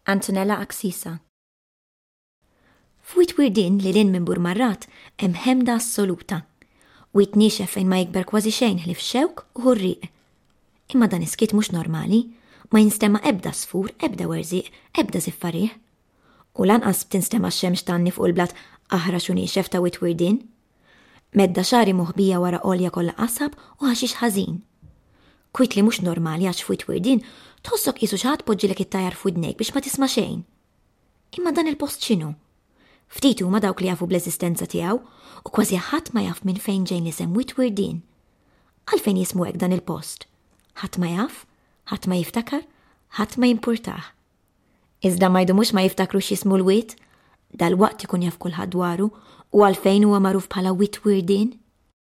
Antonella Axisa. F'Wied Wirdien lil hinn minn Burmarrad hemm ħemda assoluta. Wied niexef fejn ma jikber kważi xejn ħlief xewk u ħurrieq. Imma dan is-skiet mhux normali, ma jinstema' ebda għasfur, ebda werżieq, ebda żiffa riħ. U lanqas tinstema' x-xemx tgħanni fuq il-blat aħrax u niexef ta' Wied Wirdien. Medda xagħri moħbija wara għolja kollha qasab u ħaxix ħażin. Kwiet li mhux normali għax f'Wied Wirdien tħossok qisu xi ħadd poġġilek it-tajar f'widnejk biex ma tisma' xejn. Imma dan il-post x'inhu? Ftit huma dawk li jafu bl-eżistenza tiegħu u kważi ħadd ma jaf minn fejn ġejn l-isem Wied Wirdien. Għalfejn jismu hekk dan il-post? Ħadd ma jaf, ħadd ma jiftakar, ħadd ma jimpurtah. Iżda ma jdumux ma jiftakru x'jismu l-wied, dalwaqt ikun jaf kulħadd dwaru u għalfejn huwa magħruf bħala Wied Wirdien.